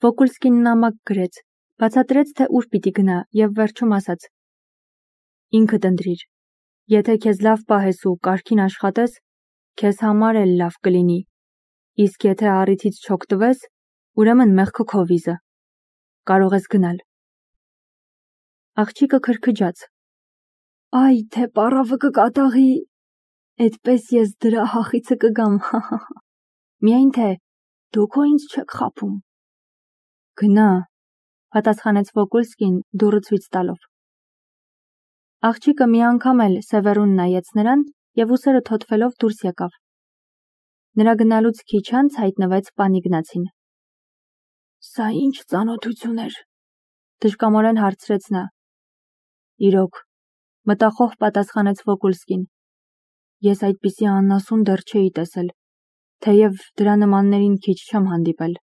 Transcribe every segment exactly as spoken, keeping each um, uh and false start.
Վոկուլսկին նամակ գրեց, բացատրեց, թե ուր պիտի գնա և վերջում ասաց. ինքդ ընտրիր, եթե քեզ լավ պահես ու կարգին աշխատես, քեզ համար էլ լավ կլինի, իսկ եթե առիթից չօգտվես, ուրեմն մեղքը քո վիզը, կարող ես գնալ։ Աղջիկը քրքջաց. Այ թե պառավը կկատաղի, էդպես ես դրա հախիցը կգամ, միայն թե դուք հո ինձ չեք խաբում։ Գնա, պատասխանեց Վոկուլսկին դուռը ցույց տալով։ Աղջիկը մի անգամ էլ Սևեռուն նայեց նրան և ուսերը թոթվելով դուրս եկավ։ Նրա գնալուց քիչ անց հայտնվեց պան Իգնացին։ Սա ինչ ծանոթություն էր, դժկամորեն հարցրեց նա։ Իրոք, մտախոհ պատասխանեց Վոկուլսկին։ Ես այդպիսի անասուն դեռ չէի տեսել, թեև դրա նմաններին քիչ չեմ հանդիպել։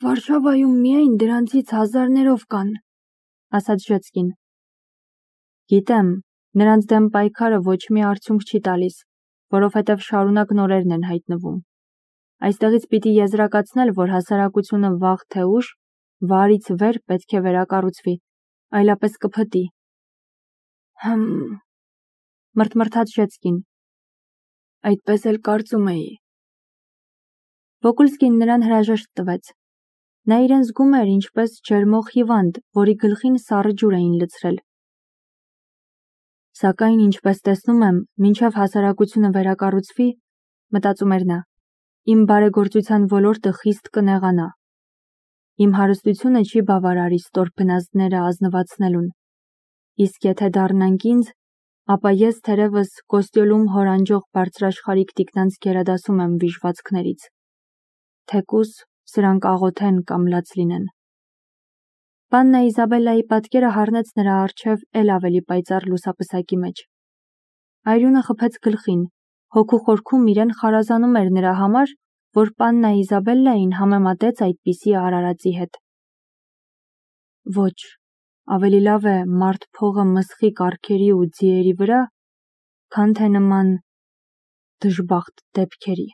Վարշավայում միայն դրանցից հազարներով կան, ասաց Ժեցկին։ Գիտեմ, նրանց դեմ պայքարը ոչ մի արդյունք չի տալիս, որովհետև շարունակ նորերն են հայտնվում։ Այստեղից պիտի եզրակացնել, որ հասարակությունը վաղ թե ուշ վարից վեր պետք է վերակառուցվի, այլապես կփտի։ Հմ, մրթմրթաց Ժեցկին։ Այդպես էլ կարծում էի։ Վոկուլսկին նրան հրաժեշտ տվեց։ Նա իրեն զգում էր ինչպես ջերմող հիվանդ, որի գլխին սառը ջուր էին լցրել։ Սակայն ինչպես տեսնում եմ, մինչև հասարակությունը վերակառուցվի, մտածում էր նա, իմ բարեգործության ոլորտը խիստ կնեղանա։ Իմ հարստությունը չի բավարարի ստոր բնազդները ազնվացնելուն, իսկ եթե դառնանք ինձ, ապա ես թերևս Կոստյոլում հորանջող բարձրաշխարհիկ տիկնանց գերադասում եմ վիժվածքներից, թեկուզ սրանք աղոթեն կամ լաց լինեն։ Պաննա Իզաբելլայի պատկերը հառնեց նրա առջև էլ ավելի պայծառ լուսապսակի մեջ։ Այրունը խփեց գլխին, հոգու խորքում իրեն խարազանում էր նրա համար, որ պաննա Իզաբելլային համեմատեց այդպիսի արարածի հետ։ Ոչ, ավելի լավ է մարդ փողը մսխի կառքերի ու ձիերի վրա, քան թե նման դժբախտ դեպքերի։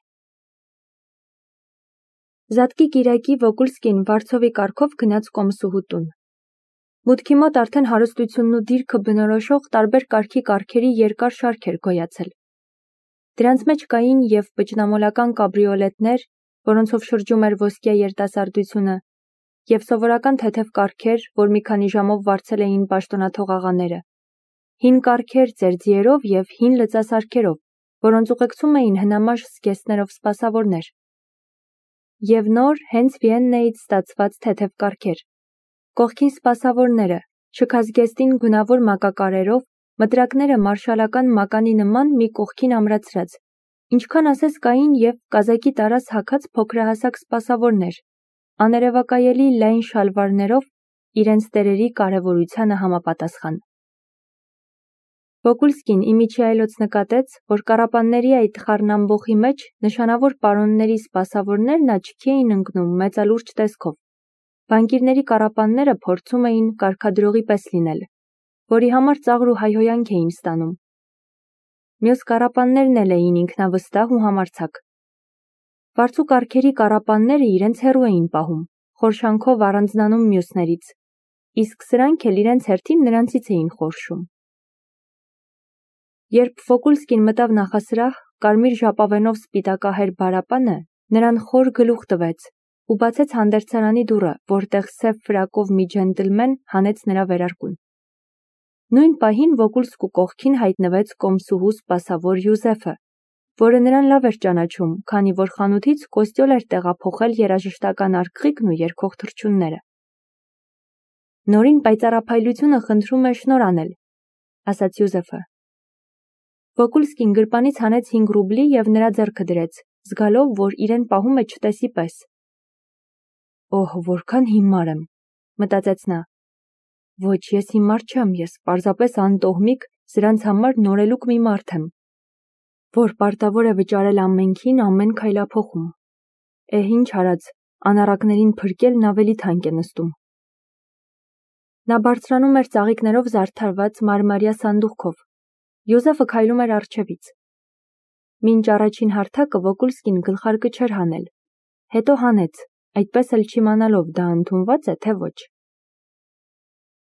Զատկի կիրակի Վոկուլսկին Վարդսովի կառքով գնաց կոմսուհու տուն։ Մուտքի մոտ արդեն հարստությունն ու դիրքը բնորոշող տարբեր կարգի կառքերի երկար շարք էր գոյացել։ Դրանց մեջ կային և բջնամոլական կաբրիոլետներ, որոնցով շրջում էր ոսկյա երիտասարդությունը, և սովորական թեթև կառքեր, որ մի քանի ժամով վարձել էին պաշտոնաթող աղաները, հին կառքեր ծեր ձիերով և հին լծասարքերով, որոնց ուղեկցում էին հնամաշ զգեստներով սպասավորներ, և նոր հենց Վիեննայից ստացված թեթև կառքեր, կողքին սպասավորները, շքազգեստին գունավոր մակակարերով, մտրակները մարշալական մականի նման մի կողքին ամրացրած, ինչքան ասես կային և կազակի տարաս հագած փոքրահասակ սպասավորներ, աներևակայելի լայն շալվարներով, իրենց տերերի կարևորությանը համապատասխան։ Վոկուլսկին իմիջիայլոց նկատեց, որ կառապանների այդ խառնամբոխի մեջ նշանավոր պարոնների սպասավորներն աչքի էին ընկնում մեծալուրջ տեսքով, բանկիրների կառապանները փորձում էին կարգադրողի պես լինել, որի համար ծաղր ու հայհոյանք էին ստանում։ Մյուս կառապաններն էլ էին ինքնավստահ ու համարձակ։ Վարձու կառքերի կառապանները իրենց հեռու էին պահում, խորշանքով առանձնանում մյուսներից, իսկ սրանք էլ իրենց հերթին նրանցից էին խորշում։ Երբ Վոկուլսկին մտավ նախասրահ, կարմիր ժապավենով սպիտակահեր բարապանը նրան խոր գլուխ տվեց ու բացեց հանդերձարանի դուռը, որտեղ սև ֆրակով մի ջենտլմեն հանեց նրա վերարկուն։ Նույն պահին Վոկուլսկու կողքին հայտնվեց կոմսուհու սպասավոր Յուզեֆը, որը նրան լավ էր ճանաչում, քանի որ խանութից Կոստյոլ էր տեղափոխել երաժշտական արկղիկն ու երգող թռչունները։ Նորին պայծառափայլությունը խնդրում է շնոր անել, ասաց Յուզեֆը։ Վոկուլսկին գրպանից հանեց հինգ ռուբլի և նրա ձեռքը դրեց, զգալով, որ իրեն պահում է չտեսի պես։ Օհ, որքան հիմար եմ, մտածեց նա։ Ոչ, ես հիմար չեմ, ես պարզապես անտոհմիկ, սրանց համար նորելուկ մի մարդ եմ, որ պարտավոր է վճարել ամենքին ամեն քայլափոխում։ Է, ինչ արած, անառակներին փրկելն ավելի թանկ է նստում։ Նա բարձրանում էր ծաղիկներով զարդարված մարմարյա սանդուղքով։ Յուզեֆը քայլում էր առջևից։ Մինչ առաջին հարթակը Վոկուլսկին գլխարկը չէր հանել, հետո հանեց, այդպես էլ չիմանալով դա ընդունված է, թե ոչ։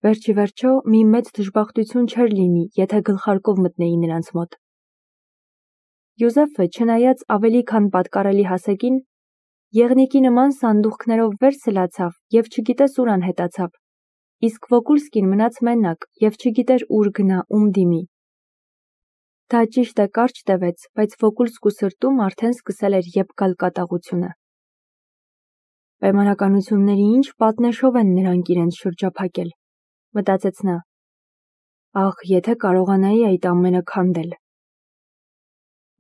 Վերջի վերջո մի մեծ դժբախտություն չէր լինի, եթե գլխարկով մտնեի նրանց մոտ։ Յուզեֆը, չնայած ավելի քան պատկառելի հասակին, եղնիկի նման սանդուղքներով վեր սլացավ և չգիտես ուր անհետացավ, իսկ Վոկուլսկին մնաց մենակ և չգիտեր ուր գնա, ում դիմի։ Դա ճիշտ է կարճ տևեց, բայց Վոկուլսկու սրտում արդեն սկսել էր եբ գալ կատաղությունը։ Պայմանականությունների ինչ պատնեշով են նրանք իրենց շրջափակել, մտածեց նա։ Ախ, եթե կարողանայի այդ ամենը քանդել։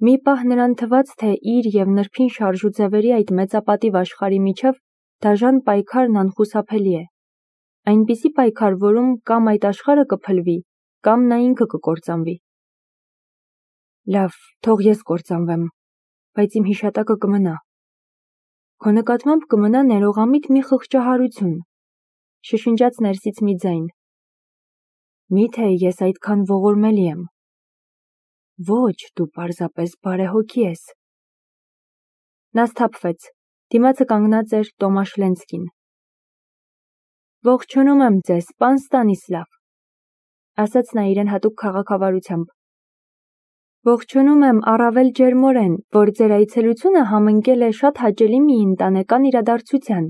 Մի պահ նրան թվաց, թե իր և նրբին շարժուձևերի այդ մեծապատիվ աշխարհի միջև դաժան պայքարն անխուսափելի է։ Այնպիսի պայքար, որում կամ այդ աշխարհը կփլվի, կամ նա ինքը կկործանվի։ Լավ, թող ես կործանվեմ, բայց իմ հիշատակը կմնա։ Քո նկատմամբ կմնա ներողամիտ մի խղճահարություն, շշնջաց ներսից մի ձայն։ Միթե ես այդքան ողորմելի եմ։ Ոչ, դու պարզապես բարեհոգի ես։ Նա սթափվեց, դիմացը կանգնած էր Տոմաշ Լենցկին։ Ողջունում եմ ձեզ, պան Ստանիսլավ, ասաց նա իրեն հատուկ քաղաքավարությամբ։ Ողջունում եմ առավել ջերմորեն, որ ձեր այցելությունը համընկել է շատ հաճելի մի ընտանեկան իրադարձության։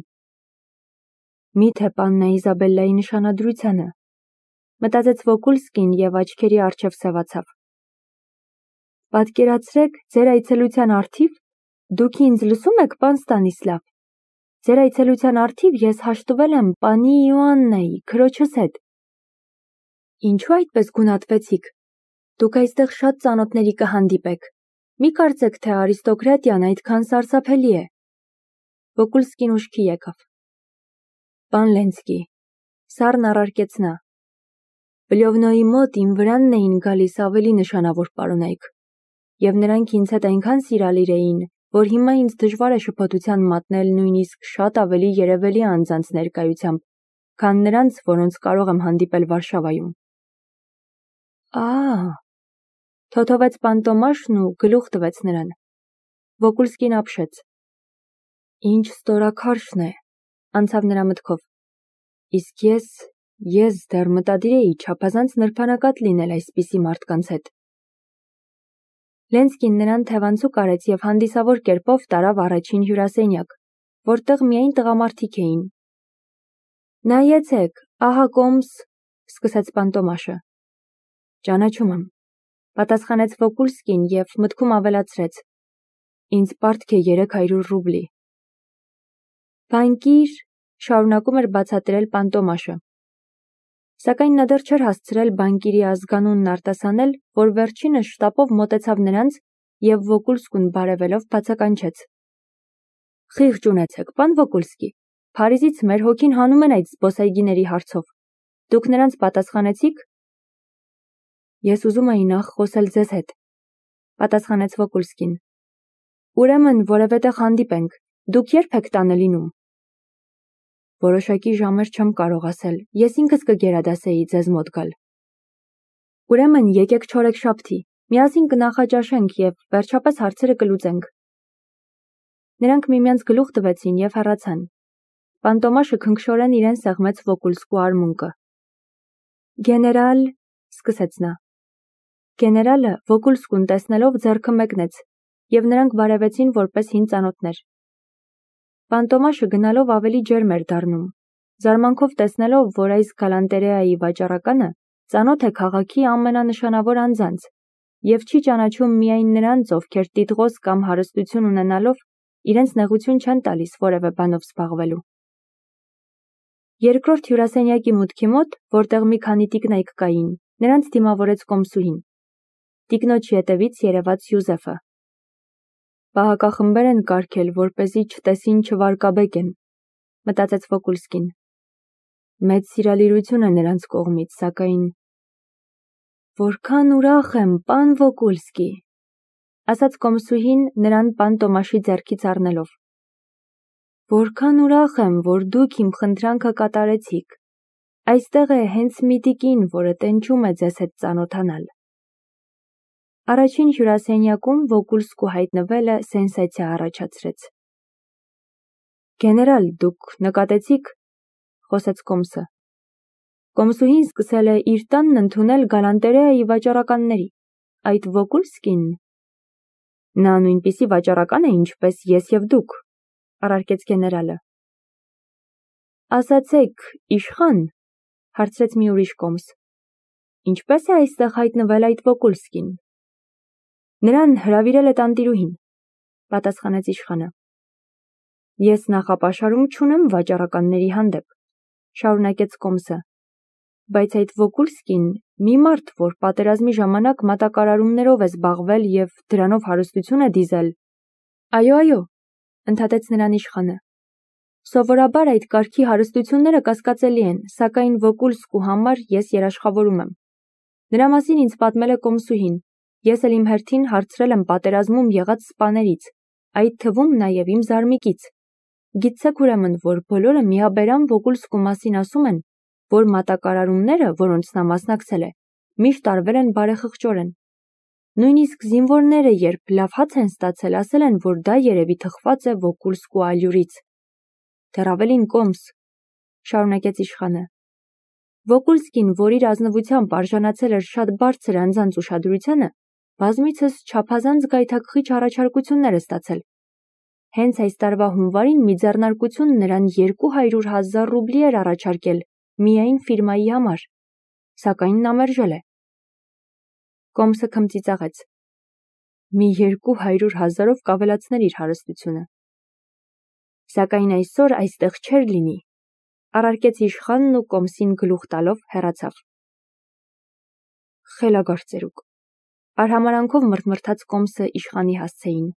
Միթե պաննա Իզաբելլայի նշանադրությանը, մտածեց Վոկուլսկին և աչքերի առջև սևացավ։ Պատկերացրեք, ձեր այցելության առթիվ, դուք ինձ լսում եք, պան Ստանիսլավ, ձեր այցելության առթիվ ես հաշտվել եմ պանի Իոաննայի, քրոջս հետ։ Ինչու այդպես գունատվեցիք։ Դուք այստեղ շատ ծանոթների կհանդիպեք։ Մի կարծեք, թե արիստոկրատիան այդքան սարսափելի է։ Վոկուլսկին ուշքի եկավ։ Պան Լենցկի, սառն առարկեց նա։ Բլյովնոյի մոտ իմ վրանն էին գալիս ավելի նշանավոր պարոնայք, և նրանք ինձ հետ այնքան սիրալիր էին, որ հիմա ինձ դժվար է շփոթության մատնել նույնիսկ շատ ավելի երևելի անձանց ներկայությամբ, քան նրանց, որոնց կարող եմ հանդիպել Վարշավայում։ Ա՜, թոթովեց պան Տոմաշն ու գլուխ տվեց նրան։ Վոկուլսկին ապշեց։ Ինչ ստորաքարշն է, անցավ նրա մտքով։ Իսկ ես, ես դեռ մտադիր էի չափազանց նրբանակատ լինել այսպիսի մարդկանց հետ։ Լենցկին նրան թևանցուկ արեց և հանդիսավոր կերպով տարավ առաջին հյուրասենյակ, որտեղ միայն տղամարդիկ էին։ Նայեցեք, ահա կոմս, սկսեց պան Տոմաշը։ Ճանաչում եմ, պատասխանեց Վոկուլսկին և մտքում ավելացրեց. Ինձ պարտք է երեք հարյուր ռուբլի։ Բանկիր, շարունակում էր բացատրել պան Տոմաշը։ Սակայն նա դեռ չէր հասցրել բանկիրի ազգանունն արտասանել, որ վերջինս շտապով մոտեցավ նրանց և Վոկուլսկուն բարևելով բացականչեց. Խիղճ ունեցեք, պան Վոկուլսկի, Փարիզից մեր հոգին հանում են այդ զբոսայգիների հարցով։ Դուք նրանց պատասխանեցիք։ Ես ուզում էի նախ խոսել ձեզ հետ, պատասխանեց Վոկուլսկին։ Ուրեմն որևէ տեղ հանդիպենք, դուք երբ եք տանը լինում։ Որոշակի ժամեր չեմ կարող ասել, ես ինքս կգերադասեի ձեզ մոտ գալ։ Ուրեմն եկեք չորեքշաբթի, միասին կնախաճաշենք և վերջապես հարցերը կլուծենք։ Նրանք միմյանց գլուխ տվեցին և հեռացան։ Պան Տոմաշը քնքշորեն իրեն սեղմեց Վոկուլսկու արմունկը։ Գեներալ, սկսեց նա։ Գեներալը Վոկուլսկուն տեսնելով ձեռքը մեկնեց, և նրանք բարևեցին որպես հին ծանոթներ։ Պան Տոմաշը գնալով ավելի ջերմ էր դառնում, զարմանքով տեսնելով, որ այս գալանտերեայի վաճառականը ծանոթ է քաղաքի ամենանշանավոր անձանց և չի ճանաչում միայն նրանց, ովքեր տիտղոս կամ հարստություն ունենալով իրենց նեղություն չեն տալիս որևէ բանով զբաղվելու։ Երկրորդ հյուրասենյակի մուտքի մոտ, որտեղ մի քանի տիկնայք կային, նրանց դիմավորեց կոմսուհին։ Տիկնոջ ետևից երևաց Յուզեֆը։ Պահակախմբեր են կարգել, որպեսզի չտեսին չվարկաբեկեն, մտածեց Վոկուլսկին։ Մեծ սիրալիրություն է նրանց կողմից, սակայն… Որքան ուրախ եմ, պան Վոկուլսկի, ասաց կոմսուհին նրան պան Տոմաշի ձեռքից առնելով։ Որքան ուրախ եմ, որ դուք իմ խնդրանքը կատարեցիք։ Այստեղ է հենց մի տիկին, որը տենչում է ձեզ հետ ծանոթանալ։ Առաջին հյուրասենյակում Վոկուլսկու հայտնվելը սենսացիա առաջացրեց։ Գեներալ, դուք նկատեցիք, խոսեց Կոմսը։ Կոմսուհին սկսել է իր տանն ընդունել գալանտերեայի վաճառականների, այդ Վոկուլսկին։ Նա նույնպիսի վաճառական է, ինչպես ես և դուք, առարկեց գեներալը։ Ասացեք, իշխան, հարցրեց մի ուրիշ Կոմս, ինչպես է այստեղ հայտնվել այդ Վոկուլսկին։ Նրան հրավիրել է տանտիրուհին, պատասխանեց իշխանը։ Ես նախապաշարում չունեմ վաճառականների հանդեպ, շարունակեց Կոմսը, բայց այդ Վոկուլսկին մի մարդ, որ պատերազմի ժամանակ մատակարարումներով է զբաղվել և դրանով հարստություն է դիզել։ Այո, այո, ընդհատեց նրան իշխանը։ Սովորաբար այդ կարգի հարստությունները կասկածելի են, սակայն Վոկուլսկու համար ես երաշխավորում եմ։ Նրա մասին ինձ պատմել է Կոմսուհին, ես էլ իմ հերթին հարցրել եմ պատերազմում եղած սպաներից, այդ թվում նաև իմ զարմիկից։ Գիտցեք ուրեմն, որ բոլորը միաբերան Վոկուլսկու մասին ասում են, որ մատակարարումները, որոնց նա մասնակցել է, միշտ արվել են բարեխղճորեն։ Նույնիսկ զինվորները, երբ լավ հաց են ստացել, ասել են, որ դա երևի թխված է Վոկուլսկու ալյուրից։ Դեռ ավելին Կոմս, շարունակեց իշխանը։ Վոկուլսկին, որ իր ազնվությամբ արժանացել էր շատ բարձր անձանց ուշադրությանը, բազմիցս չափազանց գայթակղիչ առաջարկություններ է ստացել։ Հենց այս տարվա հունվարին մի ձեռնարկություն նրան երկու հարյուր հազար ռուբլի էր առաջարկել միայն ֆիրմայի համար, սակայն նա մերժել է։ Կոմսը քմծիծաղեց։ Մի երկու հարյուր հազարով կավելացներ իր հարստությունը։ Սակայն այսօր այստեղ չէր լինի, առարկեց իշխանն ու Կոմսին գլուխ տալով հեռացավ։ Խելագարծերուկ, արհամարանքով մրթմրթաց Կոմսը իշխանի հասցեին։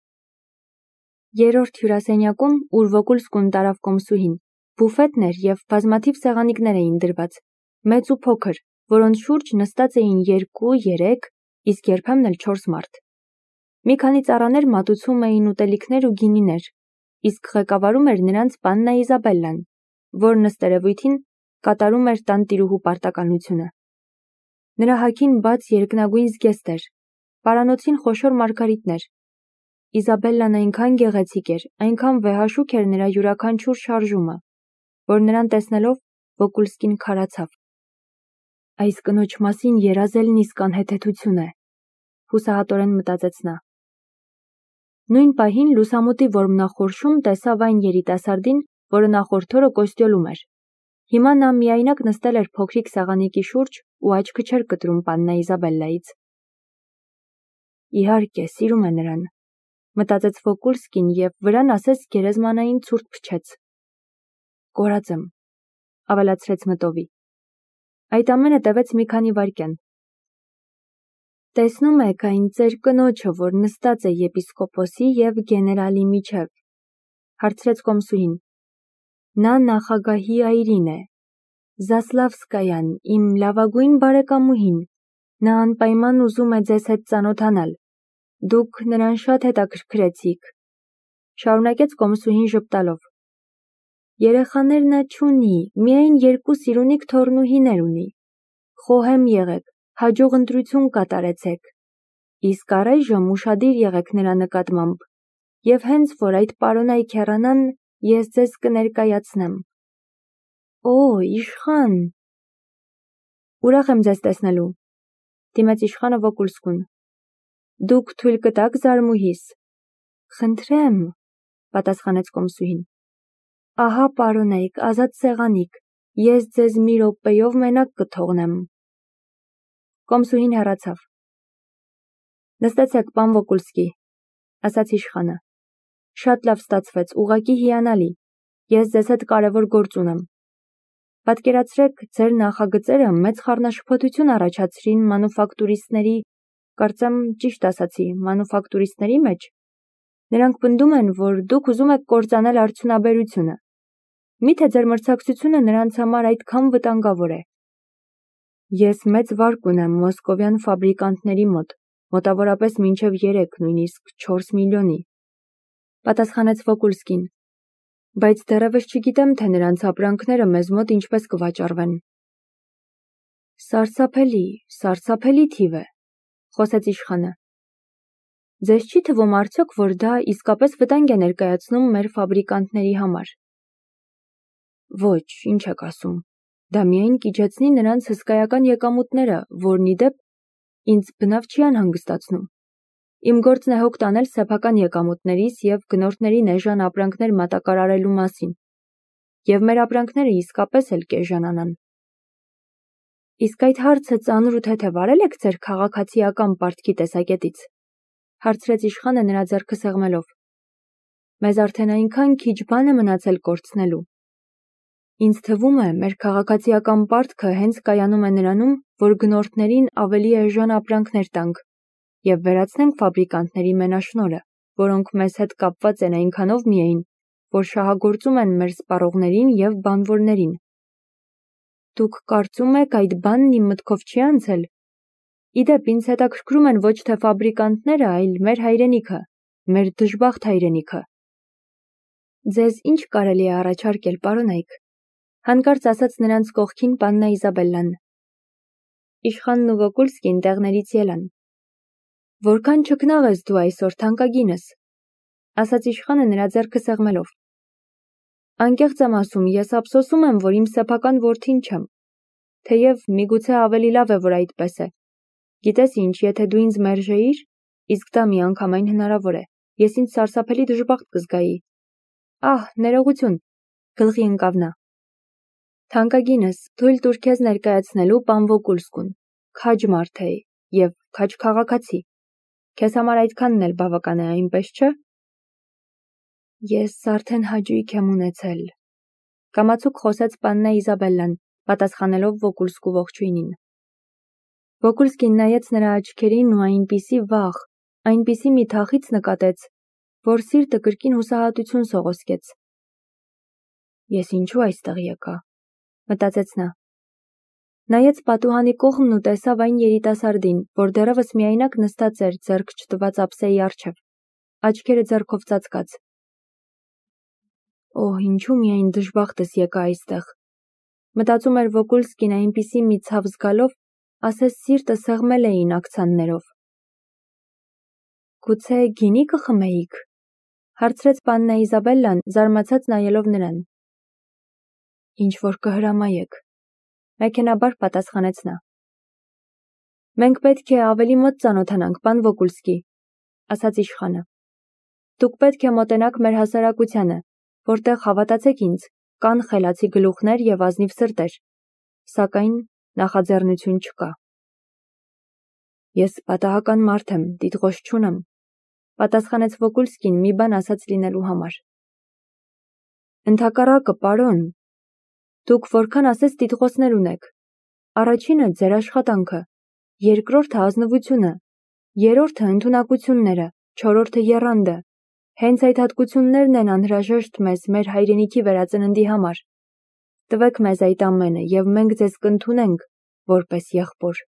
Երրորդ հյուրասենյակում, ուր Վոկուլսկուն տարավ Կոմսուհին, բուֆետն էր և բազմաթիվ սեղանիկներ էին դրված, մեծ ու փոքր, որոնց շուրջ նստած էին երկու, երեք, իսկ երբեմն էլ չորս մարդ։ Մի քանի ծառաներ մատուցում էին ուտելիքներ ու գինիներ, իսկ ղեկավարում էր նրանց պաննա Իզաբելլան, որն ըստ երևույթին կատարում էր տանտիրուհու պարտականությունը։ Նրա հագին բաց երկնագույն զգեստ էր, պարանոցին խոշոր մարգարիտներ։ Իզաբելլան այնքան գեղեցիկ էր, այնքան վեհաշուք էր նրա յուրաքանչյուր շարժումը, որ նրան տեսնելով Վոկուլսկին քարացավ։ Այս կնոջ մասին երազելն իսկ անհեթեթություն է, հուսահատորեն մտածեց նա։ Նույն պահին լուսամուտի որմնախորշում տեսավ այն երիտասարդին, որը նախորդ օրը կոստյոլում էր։ Հիմա նա միայնակ նստել էր փոքրիկ սեղանիկի շուրջ ու աչքը չէր կտրում պաննա Իզաբելլայից։ Իհարկե, սիրում է նրան, մտածեց Վոկուլսկին և վրան ասես գերեզմանային ցուրտ փչեց։ Կորած եմ, ավելացրեց մտովի։ Այդ ամենը տևեց մի քանի վայրկյան։ Տեսնում եք այն ծեր կնոջը, որ նստած է եպիսկոպոսի և գեներալի միջև, հարցրեց Կոմսուհին։ Նա նախագահի այրին է, Զասլավսկայան, իմ լավագույն բարեկամուհին, նա անպայման ուզում է ձեզ հետ ծանոթանալ, դուք նրան շատ հետաքրքրեցիք, շարունակեց Կոմսուհին ժպտալով։ Երեխաներ նա չունի, միայն երկու սիրունիկ թոռնուհիներ ունի։ Խոհեմ եղեք, հաջող ընտրություն կատարեցեք, իսկ առայժմ ուշադիր եղեք նրա նկատմամբ, և հենց որ այդ պարոնայք հեռանան, ես ձեզ կներկայացնեմ։ Օ, իշխան։ Ուրախ եմ ձեզ տեսնելու, դիմեց իշխանը Վոկուլսկուն։ Դուք թույլ կտաք զարմուհիս։ Խնդրեմ, պատասխանեց Կոմսուհին։ Ահա պարոնայք, ազատ սեղանիկ, ես ձեզ մի րոպեով մենակ կթողնեմ։ Կոմսուհին հեռացավ։ Նստեցեք, պան Վոկուլսկի, ասաց իշխանը։ Շատ լավ ստացվեց, ուղղակի հիանալի, ես ձեզ հետ կարևոր գործ ունեմ։ Պատկերացրեք, ձեր նախագծերը մեծ խառնաշփոթություն առաջացրին մանուֆակտուրիստների, կարծեմ ճիշտ ասացի, մանուֆակտուրիստների մեջ։ Նրանք պնդում են, որ դուք ուզում եք կործանել արդյունաբերությունը։ Միթե ձեր մրցակցությունը նրանց համար այդքան վտանգավոր է։ Ես մեծ վարկ ունեմ մոսկովյան ֆաբրիկանտների մոտ, մոտավորապես մինչև երեք, նույնիսկ չորս միլիոնի, պատասխանեց Վոկուլսկին, բայց դեռևս չգիտեմ, թե նրանց ապրանքները մեզ մոտ ինչպես կվաճառվեն։ Սարսափելի, սարսափելի թիվ է, խոսեց իշխանը։ Ձեզ չի թվում արդյոք, որ դա իսկապես վտանգ է ներկայացնում մեր ֆաբրիկանտների համար։ Ոչ, ինչ եք ասում։ Դա միայն կիջեցնի նրանց հսկայական եկամուտները, որն ի դեպ ինձ բնավ չի անհանգստացնում։ Իմ գործն է հոգ տանել սեփական եկամուտներիս և գնորդներին էժան ապրանքներ մատակարարելու մասին։ Եվ մեր ապրանքները իսկապես էլ կեժանանան։ Իսկ այդ հարցը ծանր ու թեթև արել եք ձեր քաղաքացիական պարտքի տեսակետից, հարցրեց իշխանը նրա ձեռքը սեղմելով։ Մեզ արդեն այնքան քիչ բան է մնացել կորցնելու։ Ինձ թվում է, մեր քաղաքացիական պարտքը հենց կայանում է նրանում, որ գնորդներին ավելի էժան ապրանքներ տանք և վերացնենք ֆաբրիկանտների մենաշնորհը, որոնք մեզ հետ կապված են այնքանով միայն, որ շահագործում են մեր սպառողներին և բանվորներին։ Դուք կարծում եք այդ բանն իմ մտքով չի անցել։ Ի դեպ, ինձ հետաքրքրում են ոչ թե ֆաբրիկանտները, այլ մեր հայրենիքը, մեր դժբախտ հայրենիքը։ Ձեզ ինչ կարելի է առաջարկել, պարոն Այք, հանկարծ ասաց նրանց կողքին պաննա Իզաբելլան։ Իշխանն ու Վոկուլսկին տեղներից ելան։ Որքան չքնաղ ես դու այսօր, թանկագինս, ասաց իշխանը նրա ձեռքը սեղմելով։ Անկեղծ եմ ասում, ես ափսոսում եմ, որ իմ սեփական որդին չեմ, թեև միգուցե ավելի լավ է, որ այդպես է։ Գիտես ինչ, եթե դու ինձ մերժեիր, իսկ դա միանգամայն հնարավոր է, ես ինձ սարսափելի դժբախտ կզգայի։ Ահ, ներողություն, գլխի ընկավ նա։ Թանկագինս, թույլ տուր քեզ ներկայացնելու պան Վոկուլսկուն, քաջ մարդ է և քաջ քաղաքացի։ Քեզ համար այդքանն էլ բավական է, այնպես չէ։ Ես արդեն հաճույք եմ ունեցել, կամացուկ խոսեց պաննա Իզաբելլան, պատասխանելով Վոկուլսկու ողջույնին։ Վոկուլսկին նայեց նրա աչքերին ու այնպիսի վախ, այնպիսի մի թախիծ նկատեց, որ սիրտը կրկին հուսահատություն սողոսկեց։ Ես ինչու այստեղ եկա, մտածեց նա։ Նայեց պատուհանի կողմն ու տեսավ այն երիտասարդին, որ դեռևս միայնակ նստած էր ձեռք չտված ափսեի առջև, աչքերը ձեռքով ծածկած։ Օհ, ինչու միայն դժբախտս եկա այստեղ, մտածում էր Վոկուլսկին այնպիսի մի ցավ զգալով, ասես սիրտը սեղմել էին աքցաններով։ Գուցե գինի կխմեիք, հարցրեց պաննա Իզաբելլան, զարմացած նայելով նրան։ Ինչ որ կհրամայեք, մեքենաբար պատասխանեց նա։ Մենք պետք է ավելի մոտ ծանոթանանք, պան Վոկուլսկի, ասաց իշխանը։ Դուք պետք է մոտենաք մեր հասարակությանը, որտեղ, հավատացեք ինձ, կան խելացի գլուխներ և ազնիվ սրտեր, սակայն նախաձեռնություն չկա։ Ես պատահական մարդ եմ, տիտղոս չունեմ, պատասխանեց Վոկուլսկին մի բան ասած լինելու համար։ Ընդհակառակը, պարոն, դուք որքան ասես տիտղոսներ ունեք։ Առաջինը ձեր աշխատանքը, երկրորդը ազնվությունը, երրորդը ընդունակությունները, չորրորդը եռանդը։ Հենց այդ հատկություններն են անհրաժեշտ մեզ մեր հայրենիքի վերածննդի համար։ Տվեք մեզ այդ ամենը, և մենք ձեզ կընդունենք որպես եղբոր։